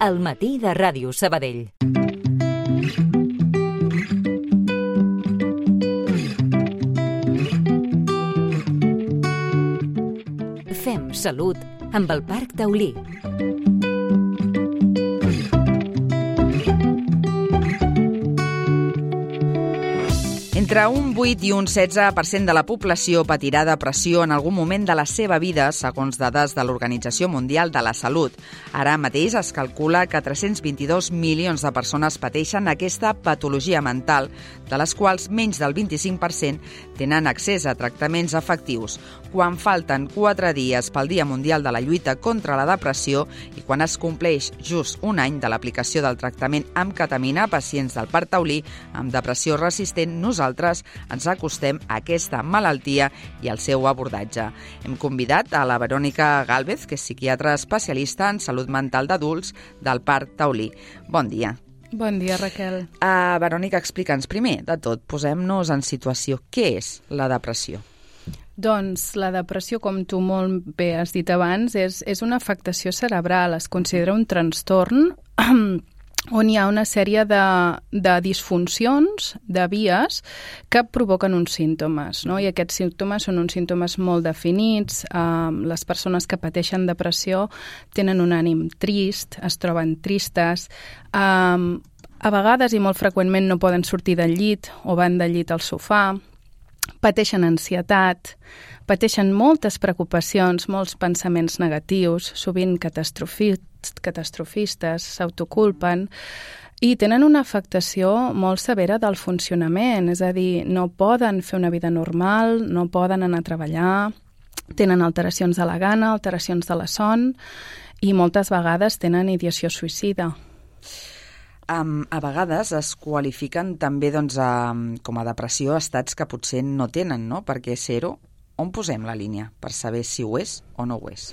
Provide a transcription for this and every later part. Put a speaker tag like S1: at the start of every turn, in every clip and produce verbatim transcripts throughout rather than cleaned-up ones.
S1: al matí de Ràdio Sabadell. Fem salut amb el Parc Taulí.
S2: Entre un vuit i un setze per cent de la població patirà depressió en algun moment de la seva vida, segons dades de l'Organització Mundial de la Salut. Ara mateix es calcula que tres-cents vint-i-dos milions de persones pateixen aquesta patologia mental, de les quals menys del vint-i-cinc per cent tenen accés a tractaments efectius. Quan falten quatre dies pel Dia Mundial de la Lluita contra la Depressió i quan es compleix just un any de l'aplicació del tractament amb ketamina a pacients del Parc Taulí amb depressió resistent, nosaltres ens acostem a aquesta malaltia i al seu abordatge. Hem convidat a la Verònica Gálvez, que és psiquiatra especialista en salut mental d'adults del Parc Taulí. Bon dia.
S3: Bon dia, Raquel.
S2: Uh, Verònica, explica'ns primer de tot, posem-nos en situació. Què és la depressió?
S3: Doncs la depressió, com tu molt bé has dit abans, és, és una afectació cerebral. Es considera un trastorn on hi ha una sèrie de, de disfuncions, de vies, que provoquen uns símptomes, no? I aquests símptomes són uns símptomes molt definits. Um, les persones que pateixen depressió tenen un ànim trist, es troben tristes, um, a vegades i molt freqüentment no poden sortir del llit o van del llit al sofà, pateixen ansietat, pateixen moltes preocupacions, molts pensaments negatius, sovint catastrofistes, catastrofistes, s'autoculpen i tenen una afectació molt severa del funcionament, és a dir, no poden fer una vida normal, no poden anar a treballar, tenen alteracions de la gana, alteracions de la son i moltes vegades tenen ideació suïcida.
S2: Um, a vegades es qualifiquen també doncs, um, com a depressió estats que potser no tenen, no? Perquè ser-ho, on posem la línia per saber si ho és o no ho és?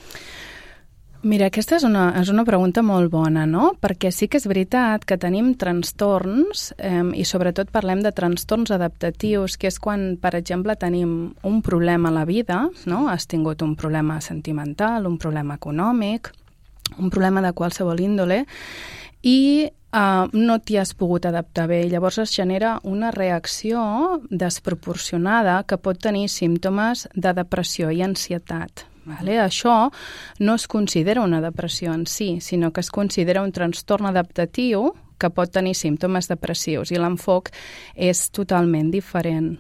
S3: Mira, aquesta és una, és una pregunta molt bona, no? Perquè sí que és veritat que tenim trastorns eh, i sobretot parlem de trastorns adaptatius, que és quan, per exemple, tenim un problema a la vida, no? Has tingut un problema sentimental, un problema econòmic, un problema de qualsevol índole, i Uh, no t'hi has pogut adaptar bé. Llavors es genera una reacció desproporcionada que pot tenir símptomes de depressió i ansietat. Vale? Això no es considera una depressió en si, sinó que es considera un trastorn adaptatiu que pot tenir símptomes depressius i l'enfoc és totalment diferent.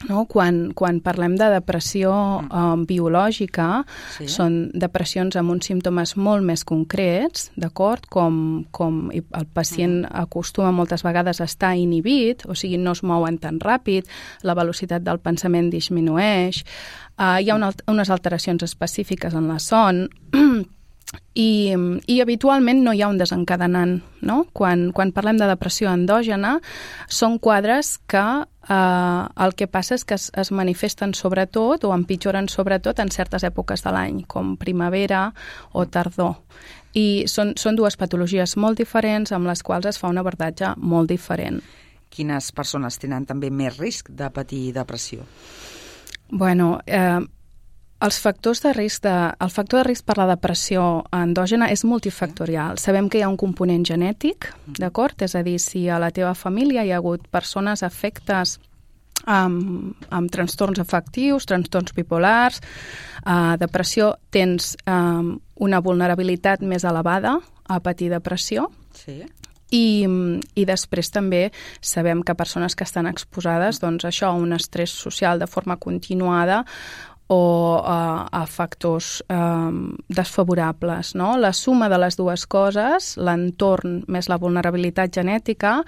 S3: No? Quan, quan parlem de depressió um, biològica, sí. Són depressions amb uns símptomes molt més concrets, d'acord? Com, com el pacient mm. acostuma moltes vegades a estar inhibit, o sigui, no es mouen tan ràpid, la velocitat del pensament disminueix, uh, hi ha una, unes alteracions específiques en la son, I, i habitualment no hi ha un desencadenant, no? Quan, quan parlem de depressió endògena, són quadres que eh, el que passa és que es, es manifesten sobretot o empitjoren sobretot en certes èpoques de l'any, com primavera o tardor. I són, són dues patologies molt diferents amb les quals es fa un abordatge molt diferent.
S2: Quines persones tenen també més risc de patir depressió?
S3: Bueno, eh, Els factors de risc de, el factor de risc per la depressió endògena és multifactorial. Sabem que hi ha un component genètic, d'acord? És a dir, si a la teva família hi ha hagut persones afectes amb, amb trastorns afectius, trastorns bipolars, eh, depressió, tens eh, una vulnerabilitat més elevada a patir depressió. Sí. I, i després també sabem que persones que estan exposades doncs, això, a un estrès social de forma continuada o a, a factors um, desfavorables, no? La suma de les dues coses, l'entorn més la vulnerabilitat genètica,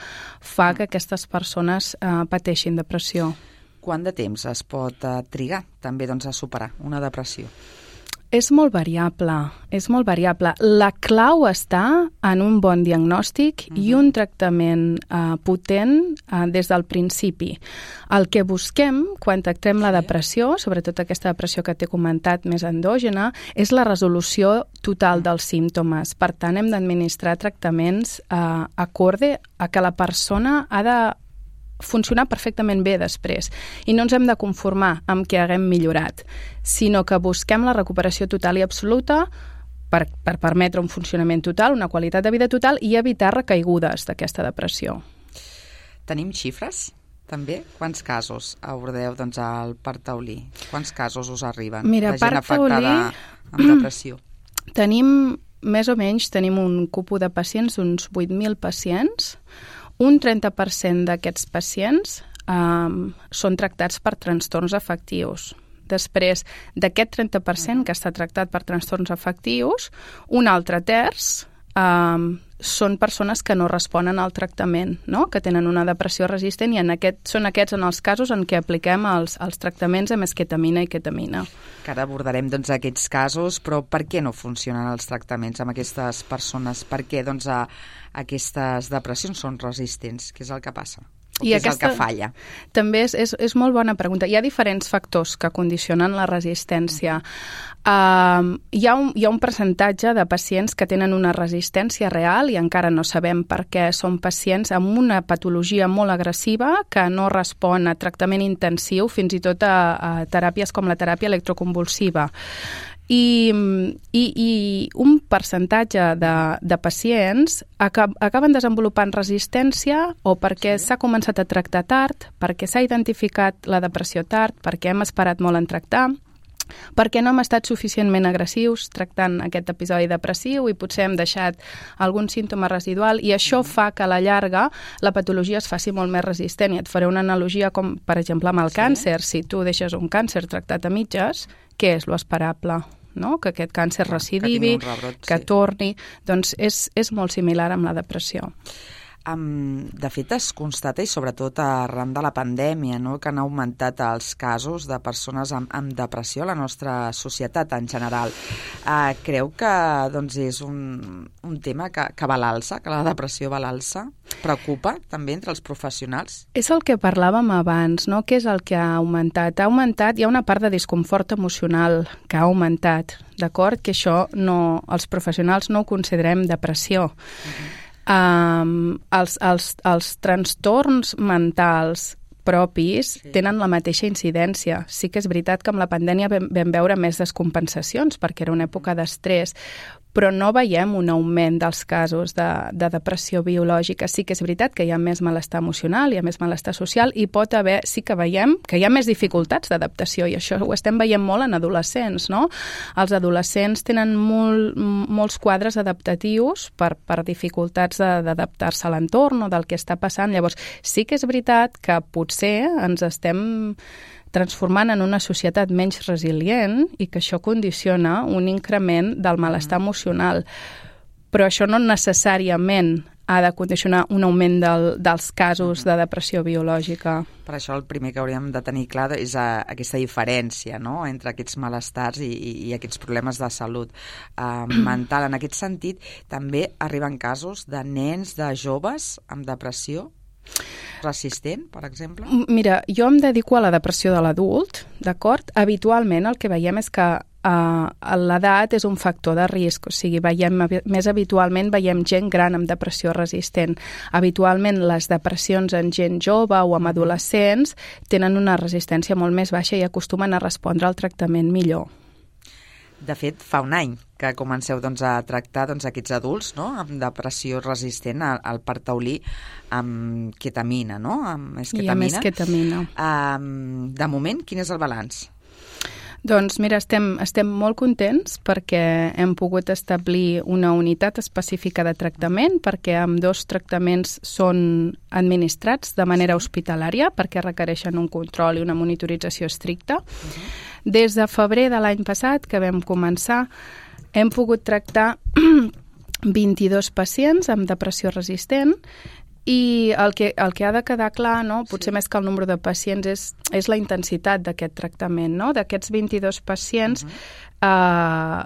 S3: fa que aquestes persones uh, pateixin depressió.
S2: Quant de temps es pot uh, trigar també doncs, a superar una depressió?
S3: És molt variable, és molt variable. La clau està en un bon diagnòstic uh-huh. i un tractament uh, potent uh, des del principi. El que busquem quan tractem la depressió, sobretot aquesta depressió que t'he comentat més endògena, és la resolució total dels símptomes. Per tant, hem d'administrar tractaments uh, acorde a que la persona ha de funcionar perfectament bé després. I no ens hem de conformar amb que haguem millorat, sinó que busquem la recuperació total i absoluta per, per permetre un funcionament total, una qualitat de vida total i evitar recaigudes d'aquesta depressió.
S2: Tenim xifres? També? Quants casos abordeu doncs, al Parc Taulí? Quants casos us arriben
S3: Mira,
S2: de gent
S3: Parc
S2: afectada
S3: Taulí,
S2: amb depressió?
S3: Tenim, més o menys, tenim un cupo de pacients, uns vuit mil pacients. Un trenta per cent d'aquests pacients um, són tractats per trastorns afectius. Després d'aquest trenta per cent que està tractat per trastorns afectius, un altre terç um, són persones que no responen al tractament, no? Que tenen una depressió resistent i en aquest, són aquests en els casos en què apliquem els, els tractaments amb esquetamina i ketamina.
S2: Que ara abordarem doncs, aquests casos, però per què no funcionen els tractaments amb aquestes persones? Per què doncs, a, aquestes depressions són resistents? Què és el que passa? O I què aquesta, és el que falla?
S3: També és, és, és molt bona pregunta. Hi ha diferents factors que condicionen la resistència. Uh, hi, ha un, hi ha un percentatge de pacients que tenen una resistència real i encara no sabem per què. Són pacients amb una patologia molt agressiva que no respon a tractament intensiu, fins i tot a, a teràpies com la teràpia electroconvulsiva. I, i, i un percentatge de, de pacients acab, acaben desenvolupant resistència o perquè s'ha sí. començat a tractar tard, perquè s'ha identificat la depressió tard, perquè hem esperat molt en tractar, perquè no hem estat suficientment agressius tractant aquest episodi depressiu i potser hem deixat algun símptoma residual i això fa que a la llarga la patologia es faci molt més resistent. I et faré una analogia com, per exemple, amb el sí. càncer. Si tu deixes un càncer tractat a mitges, què és l'esperable? No? Que aquest càncer recidivi, que, rebrot, que sí. torni, doncs és, és molt similar amb la depressió.
S2: Um, de fet, es constata, i sobretot arran de la pandèmia, no? Que han augmentat els casos de persones amb, amb depressió a la nostra societat en general. Uh, creu que doncs, és un, un tema que, que va a l'alça, que la depressió va a l'alça? Preocupa també entre els professionals?
S3: És el que parlàvem abans, no? Què és el que ha augmentat? Ha augmentat, hi ha una part de disconfort emocional que ha augmentat, d'acord? Que això no, els professionals no ho considerem depressió. Uh-huh. Um, els, els, els trastorns mentals propis sí. tenen la mateixa incidència. Sí que és veritat que amb la pandèmia vam, vam veure més descompensacions perquè era una època d'estrès, però no veiem un augment dels casos de, de depressió biològica. Sí que és veritat que hi ha més malestar emocional, hi ha més malestar social i pot haver, sí que veiem que hi ha més dificultats d'adaptació i això ho estem veient molt en adolescents, no? Els adolescents tenen molt, molts quadres adaptatius per, per dificultats de, d'adaptar-se a l'entorn o del que està passant. Llavors, sí que és veritat que potser ens estem transformant en una societat menys resilient i que això condiciona un increment del malestar emocional. Però això no necessàriament ha de condicionar un augment del, dels casos de depressió biològica.
S2: Per això el primer que hauríem de tenir clar és a, aquesta diferència, no?, entre aquests malestars i, i, i aquests problemes de salut uh, mental. En aquest sentit, també arriben casos de nens, de joves amb depressió resistent, per exemple?
S3: Mira, jo em dedico a la depressió de l'adult, d'acord? Habitualment el que veiem és que uh, l'edat és un factor de risc, o sigui, veiem, més habitualment veiem gent gran amb depressió resistent. Habitualment les depressions en gent jove o amb adolescents tenen una resistència molt més baixa i acostumen a respondre al tractament millor.
S2: De fet, fa un any que comenceu doncs, a tractar doncs, aquests adults, no?, amb depressió resistent al, al Parc Taulí amb ketamina, no?, amb esquetamina.
S3: I amb esquetamina.
S2: Um, de moment, quin és el balanç?
S3: Doncs mira, estem, estem molt contents perquè hem pogut establir una unitat específica de tractament, perquè amb dos tractaments són administrats de manera hospitalària, perquè requereixen un control i una monitorització estricta. Uh-huh. Des de febrer de l'any passat, que vam començar, hem pogut tractar vint-i-dos pacients amb depressió resistent i el que, el que ha de quedar clar, no, potser sí. més que el nombre de pacients, és, és la intensitat d'aquest tractament. No? D'aquests vint-i-dos pacients, uh-huh. eh,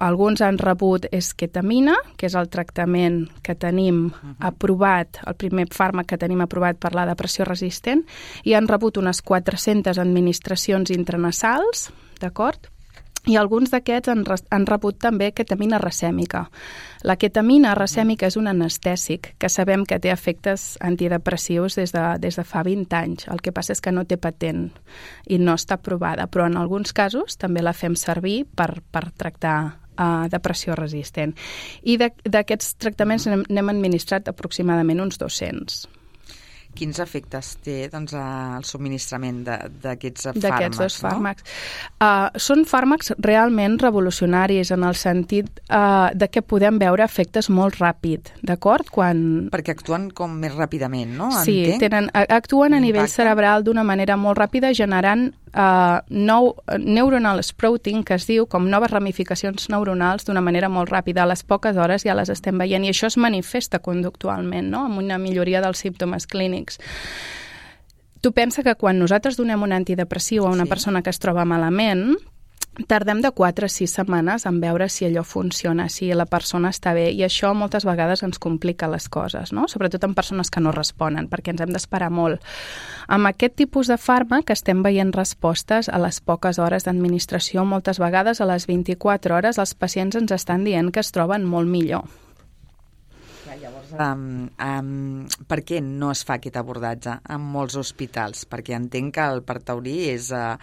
S3: alguns han rebut esquetamina, que és el tractament que tenim uh-huh. aprovat, el primer fàrmac que tenim aprovat per la depressió resistent, i han rebut unes quatre-centes administracions intranasals, d'acord? I alguns d'aquests han, han rebut també ketamina racèmica. La ketamina racèmica és un anestèsic que sabem que té efectes antidepressius des de, des de fa vint anys. El que passa és que no té patent i no està aprovada, però en alguns casos també la fem servir per, per tractar uh, depressió resistent. I d'aquests tractaments n'hem administrat aproximadament uns dos-cents.
S2: Quins efectes té doncs, el subministrament d'aquests fàrmacs?
S3: D'aquests dos fàrmacs. No? Uh, són fàrmacs realment revolucionaris en el sentit uh, de que podem veure efectes molt ràpid, d'acord? Quan...
S2: Perquè actuen com més ràpidament, no?
S3: Sí, tenen, actuen a nivell cerebral d'una manera molt ràpida, generant uh, nou neuronal sprouting, que es diu com noves ramificacions neuronals d'una manera molt ràpida. A les poques hores ja les estem veient i això es manifesta conductualment, no? Amb una milloria dels símptomes clínics. Tu pensa que quan nosaltres donem un antidepressiu a una sí. persona que es troba malament, tardem de quatre a sis setmanes en veure si allò funciona, si la persona està bé, i això moltes vegades ens complica les coses, no? Sobretot en persones que no responen, perquè ens hem d'esperar molt. Amb aquest tipus de fàrmac estem veient respostes a les poques hores d'administració, moltes vegades a les vint-i-quatre hores els pacients ens estan dient que es troben molt millor.
S2: Llavors, um, um, per què no es fa aquest abordatge en molts hospitals? Perquè entenc que el Partaurí és uh,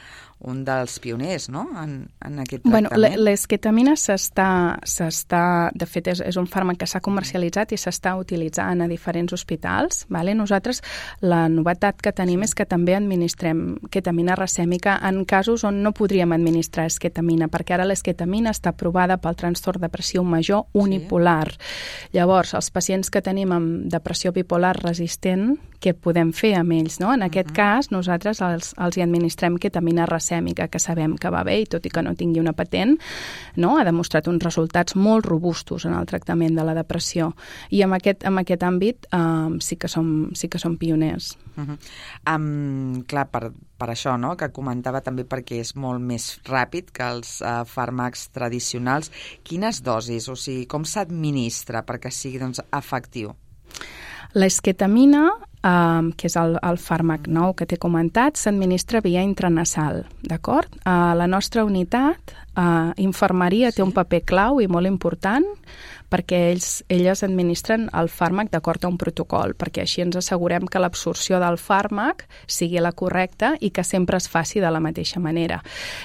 S2: un dels pioners, no?, en, en aquest tractament.
S3: Bueno, l'esquetamina s'està, s'està, de fet, és, és un fàrmac que s'ha comercialitzat i s'està utilitzant a diferents hospitals. Vale? Nosaltres, la novetat que tenim és que també administrem ketamina racèmica en casos on no podríem administrar esquetamina, perquè ara l'esquetamina està aprovada pel trastorn depressiu major unipolar. Sí. Llavors, els pacients que tenim amb depressió bipolar resistent, què podem fer amb ells, no? En aquest uh-huh. cas, nosaltres els, els hi administrem ketamina racèmica, que sabem que va bé, i tot i que no tingui una patent, no? Ha demostrat uns resultats molt robustos en el tractament de la depressió. I en aquest, en aquest àmbit um, sí, que som, sí que som pioners.
S2: Uh-huh. Um, clar, per, per això, no?, que comentava també perquè és molt més ràpid que els uh, fàrmacs tradicionals. Quines dosis, o sigui, com s'administra perquè sigui doncs, efectiu?
S3: L'esquetamina, eh, que és el, el fàrmac nou que t'he comentat, s'administra via intranasal, d'acord? Uh, la nostra unitat, uh, infermeria, sí. té un paper clau i molt important perquè ells, elles administren el fàrmac d'acord a un protocol, perquè així ens assegurem que l'absorció del fàrmac sigui la correcta i que sempre es faci de la mateixa manera.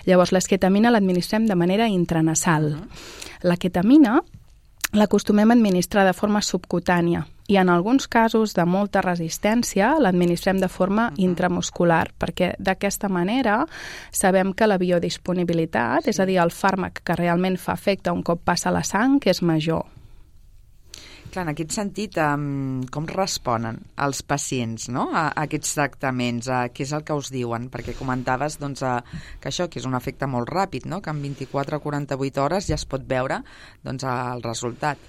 S3: Llavors, l'esquetamina l'administrem de manera intranasal. Uh-huh. La ketamina l'acostumem a administrar de forma subcutània i en alguns casos de molta resistència l'administrem de forma uh-huh. intramuscular, perquè d'aquesta manera sabem que la biodisponibilitat, sí. és a dir, el fàrmac que realment fa efecte un cop passa a la sang, és major.
S2: Clar, en aquest sentit, um, com responen els pacients, no?, a, a aquests tractaments? A, què és el que us diuen? Perquè comentaves doncs, a, que això que és un efecte molt ràpid, no?, que en vint-i-quatre a quaranta-vuit hores ja es pot veure doncs, el resultat.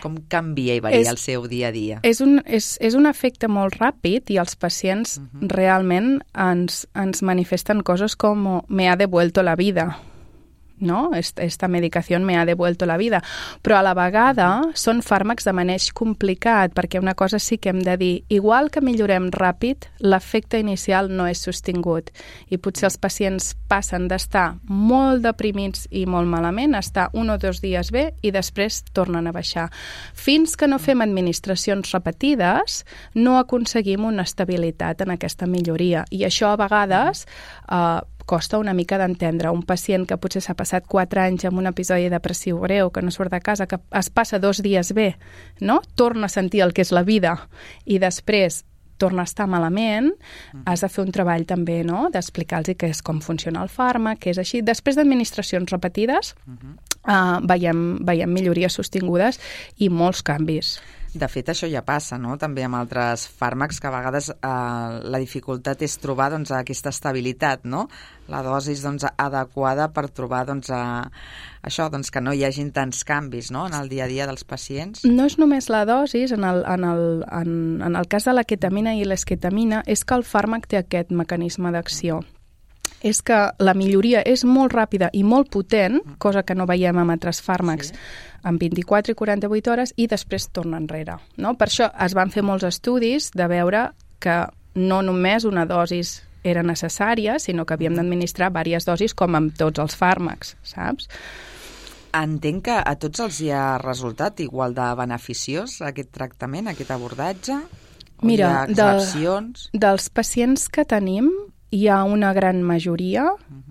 S2: Com canvia i varia és, el seu dia a dia? És
S3: un, és, és un efecte molt ràpid i els pacients uh-huh. realment ens, ens manifesten coses com me ha devuelto la vida, ¿no? Esta medicación me ha devuelto la vida. Però a la vegada són fàrmacs de maneig complicat, perquè una cosa sí que hem de dir, igual que millorem ràpid, l'efecte inicial no és sostingut. I potser els pacients passen d'estar molt deprimits i molt malament a estar un o dos dies bé i després tornen a baixar. Fins que no fem administracions repetides, no aconseguim una estabilitat en aquesta milloria. I això a vegades eh, costa una mica d'entendre. Un pacient que potser s'ha passat quatre anys amb un episodi depressiu greu, que no surt de casa, que es passa dos dies bé, no? Torna a sentir el que és la vida i després torna a estar malament, uh-huh. has de fer un treball també, no?, d'explicar-los què és, com funciona el fàrmac, que és així. Després d'administracions repetides, uh-huh. uh, veiem, veiem millories sostingudes i molts canvis.
S2: De fet, això ja passa, no?, també amb altres fàrmacs, que a vegades eh, la dificultat és trobar doncs, aquesta estabilitat, no?, la dosi doncs, adequada per trobar doncs, a, això, doncs, que no hi hagin tants canvis, no?, en el dia a dia dels pacients.
S3: No és només la dosi, en el, en el, en, en el cas de la ketamina i l'esquetamina, és que el fàrmac té aquest mecanisme d'acció. És que la milloria és molt ràpida i molt potent, cosa que no veiem amb altres fàrmacs, sí. en vint-i-quatre i quaranta-vuit hores, i després torna enrere. No? Per això es van fer molts estudis de veure que no només una dosis era necessària, sinó que havíem d'administrar diverses dosis, com amb tots els fàrmacs, saps?
S2: Entenc que a tots els hi ha resultat igual de beneficiós aquest tractament, aquest abordatge?
S3: Mira, de, dels pacients que tenim, hi ha una gran majoria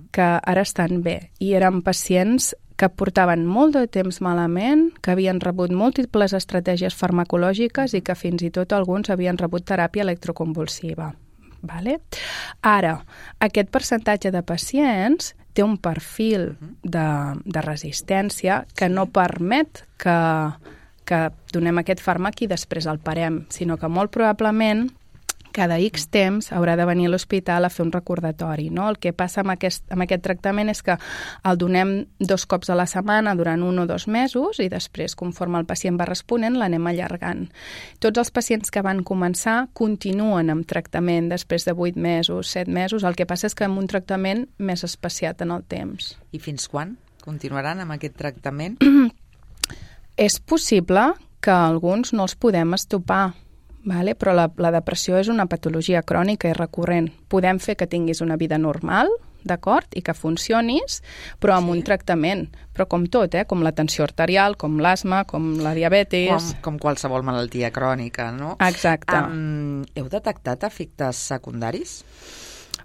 S3: que ara estan bé i eren pacients que portaven molt de temps malament, que havien rebut múltiples estratègies farmacològiques i que fins i tot alguns havien rebut teràpia electroconvulsiva. Vale? Ara, aquest percentatge de pacients té un perfil de, de resistència que no permet que, que donem aquest fàrmac i després el parem, sinó que molt probablement cada X temps haurà de venir a l'hospital a fer un recordatori. No? El que passa amb aquest, amb aquest tractament és que el donem dos cops a la setmana durant un o dos mesos i després, conforme el pacient va responent, l'anem allargant. Tots els pacients que van començar continuen amb tractament després de vuit mesos, set mesos. El que passa és que amb un tractament més espaciat en el temps.
S2: I fins quan continuaran amb aquest tractament?
S3: És possible que alguns no els podem estopar, vale? Però la, la depressió és una patologia crònica i recurrent. Podem fer que tinguis una vida normal, d'acord? I que funcionis, però amb sí. un tractament. Però com tot, eh? Com la tensió arterial, com l'asma, com la diabetis...
S2: Com, com qualsevol malaltia crònica, no?
S3: Exacte.
S2: Um, heu detectat efectes secundaris?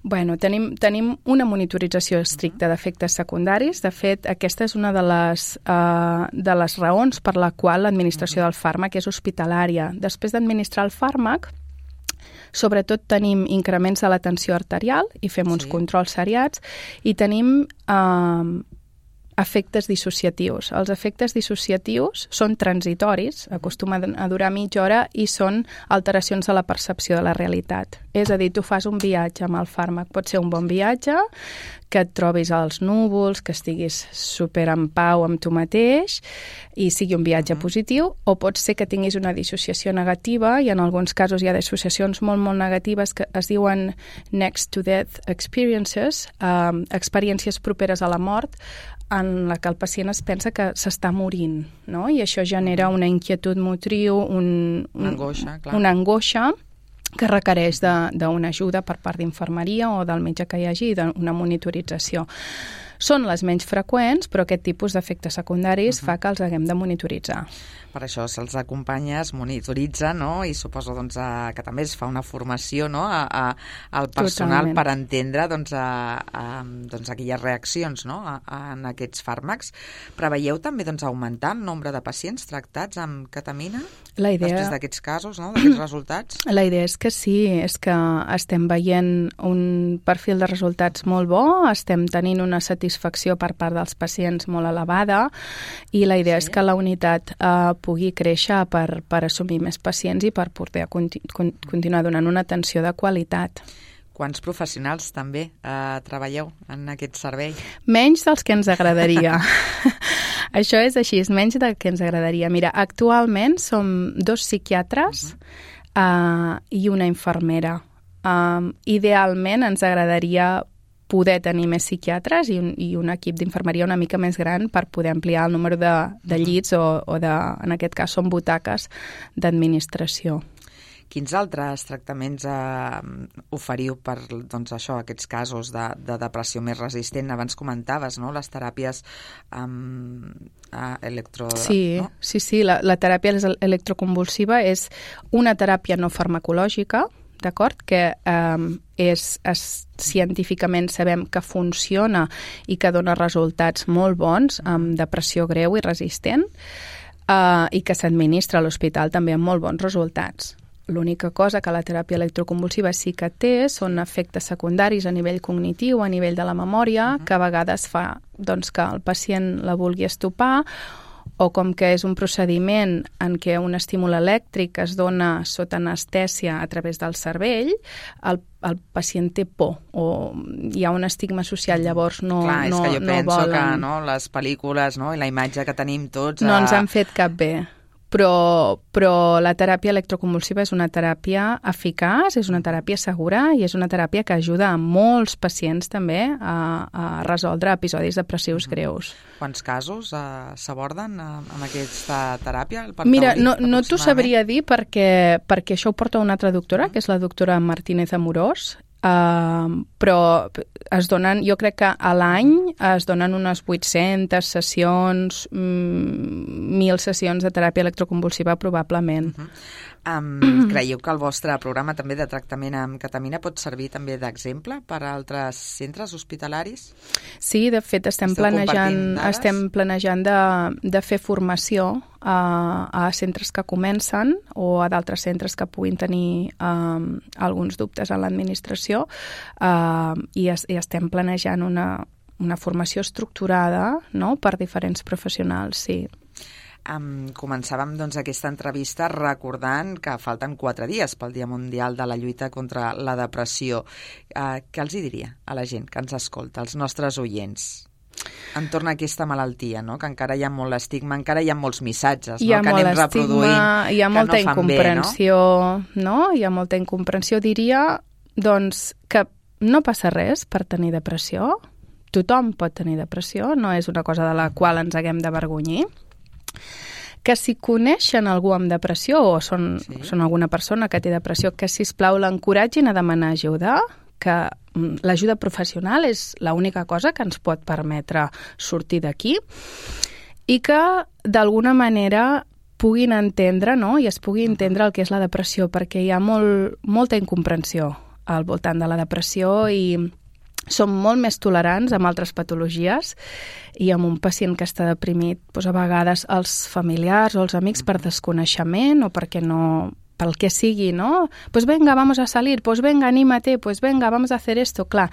S3: Bueno, tenim, tenim una monitorització estricta d'efectes secundaris. De fet, aquesta és una de les, uh, de les raons per la qual l'administració del fàrmac és hospitalària. Després d'administrar el fàrmac, sobretot tenim increments de la tensió arterial i fem uns sí. controls seriats i tenim uh, efectes dissociatius. Els efectes dissociatius són transitoris, acostumen a durar mitja hora i són alteracions de la percepció de la realitat. És a dir, tu fas un viatge amb el fàrmac. Pot ser un bon viatge, que et trobis als núvols, que estiguis super en pau amb tu mateix i sigui un viatge positiu, o pot ser que tinguis una dissociació negativa i en alguns casos hi ha dissociacions molt, molt negatives que es diuen next to death experiences, um, experiències properes a la mort, en la que el pacient es pensa que s'està morint, no? I això genera una inquietud motriu, un, un,
S2: una angoixa, clar.
S3: Una angoixa que requereix d'una ajuda per part d'infermeria o del metge que hi hagi i d'una monitorització. Són les menys freqüents, però aquest tipus d'efectes secundaris uh-huh. fa que els haguem de monitoritzar.
S2: Per això se'ls acompanya, es monitoritza, no? I suposo doncs, a, que també es fa una formació, no? a, a, al personal Totalment. Per entendre doncs, a, a, doncs, aquelles reaccions, no? a, a, en aquests fàrmacs. Preveieu també doncs, augmentar el nombre de pacients tractats amb ketamina?
S3: La idea...
S2: Després d'aquests casos, no? D'aquests resultats?
S3: La idea és que sí, és que estem veient un perfil de resultats molt bo, estem tenint una satisfacció per part dels pacients molt elevada i la idea sí. és que la unitat eh, pugui créixer per, per assumir més pacients i per poder conti con continuar donant una atenció de qualitat.
S2: Quants professionals també eh, treballeu en aquest servei?
S3: Menys dels que ens agradaria. Això és així, és menys del que ens agradaria. Mira, actualment som dos psiquiatres uh-huh. uh, i una infermera. Um, idealment ens agradaria poder tenir més psiquiatres i un, i un equip d'infermeria una mica més gran per poder ampliar el número de, de llits o, o de, en aquest cas són butaques d'administració.
S2: Quins altres tractaments eh, oferiu per doncs, això, aquests casos de, de depressió més resistent? Abans comentaves, no?, les teràpies um, uh, electro...
S3: Sí,
S2: no?
S3: sí, sí, la, la teràpia electroconvulsiva és una teràpia no farmacològica, d'acord? Que eh, és, és, científicament sabem que funciona i que dona resultats molt bons amb depressió greu i resistent eh, i que s'administra a l'hospital també amb molt bons resultats. L'única cosa que la teràpia electroconvulsiva sí que té són efectes secundaris a nivell cognitiu, a nivell de la memòria, uh-huh. que a vegades fa doncs, que el pacient la vulgui estopar o com que és un procediment en què un estímul elèctric es dona sota anestèsia a través del cervell, el, el pacient té por o hi ha un estigma social, llavors no,
S2: Clar,
S3: no,
S2: és que jo
S3: no
S2: penso
S3: volen.
S2: que no, les pel·lícules, no, i la imatge que tenim tots...
S3: No
S2: a...
S3: ens han fet cap bé. Però, però la teràpia electroconvulsiva és una teràpia eficaç, és una teràpia segura i és una teràpia que ajuda a molts pacients també a, a resoldre episodis depressius greus.
S2: Quants casos uh, s'aborden uh, amb aquesta teràpia?
S3: Mira, no, no t'ho sabria dir perquè, perquè això ho porta una altra doctora, que és la doctora Martínez Amorós, Uh, però es donen, jo crec que a l'any es donen unes vuit-centes sessions, mil sessions de teràpia electroconvulsiva probablement.
S2: Uh-huh. Um, creieu que el vostre programa també de tractament amb ketamina pot servir també d'exemple per a altres centres hospitalaris?
S3: Sí, de fet estem
S2: Esteu
S3: planejant,
S2: dades?
S3: estem planejant de, de fer formació a, a centres que comencen o a d'altres centres que puguin tenir um, alguns dubtes en l'administració uh, i, es, i estem planejant una, una formació estructurada, no?, per diferents professionals, sí.
S2: Um, començàvem doncs, aquesta entrevista recordant que falten quatre dies pel Dia Mundial de la Lluita contra la Depressió. Uh, què els hi diria a la gent que ens escolta, als nostres oients, entorn a aquesta malaltia, no? Que encara hi ha molt estigma, encara hi ha molts missatges,
S3: hi ha
S2: no? Que anem reproduint,
S3: hi ha molta
S2: que no
S3: incomprensió,
S2: bé, no?
S3: no? Hi ha molta incomprensió. Diria, doncs, que no passa res per tenir depressió. Tothom pot tenir depressió, no és una cosa de la qual ens haguem d'avergonyir. Que si coneixen algú amb depressió o són, sí. són alguna persona que té depressió, que, sisplau, l'encoratgin a demanar ajuda, que l'ajuda professional és l'única cosa que ens pot permetre sortir d'aquí i que, d'alguna manera, puguin entendre, no?, i es pugui entendre el que és la depressió, perquè hi ha molt, molta incomprensió al voltant de la depressió i som molt més tolerants amb altres patologies i amb un pacient que està deprimit, doncs a vegades els familiars o els amics per desconeixement o perquè no, pel que sigui, no? Pues venga, vamos a salir, pues venga, anímate, pues venga, vamos a hacer esto. Clar,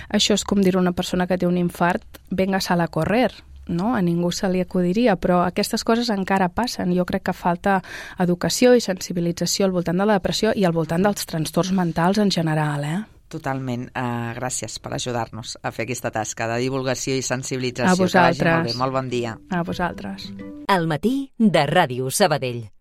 S3: això és com dir a una persona que té un infart, venga, sal a correr, no? A ningú se li acudiria, però aquestes coses encara passen. Jo crec que falta educació i sensibilització al voltant de la depressió i al voltant dels trastorns mentals en general, eh?
S2: Totalment. Uh, gràcies per ajudar-nos a fer aquesta tasca de divulgació i sensibilització.
S3: A vosaltres.
S2: Que vagi molt bé. Molt bon dia.
S3: A vosaltres.
S1: Al matí de Ràdio Sabadell.